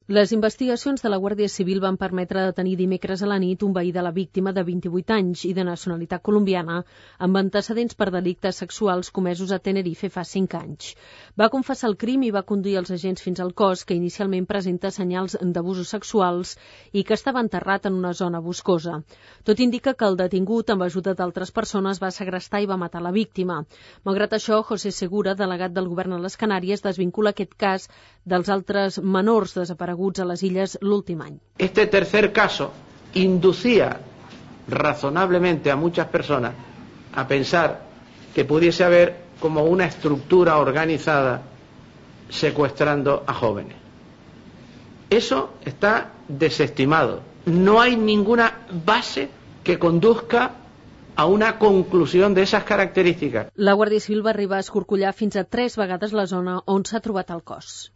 Les investigacions de la Guàrdia Civil van permetre detenir dimecres a la nit un veí de la víctima de 28 anys i de nacionalitat colombiana amb antecedents per delictes sexuals comesos a Tenerife fa 5 anys. Va confessar el crim i va conduir els agents fins al cos, que inicialment presenta senyals d'abusos sexuals i que estava enterrat en una zona boscosa. Tot indica que el detingut, amb ajuda d'altres persones, va segrestar i va matar la víctima. Malgrat això, José Segura, delegat del govern a les Canàries, desvincula aquest cas dels altres menors desapareguts a les illes l'últim any. Este tercer caso inducía razonablemente a muchas personas a pensar que pudiese haber como una estructura organizada secuestrando a jóvenes. Eso está desestimado. No hay ninguna base que conduzca a una conclusión de esas características. La Guàrdia Civil va arribar a escorcollar fins a 3 vegades la zona on s'ha trobat el cos.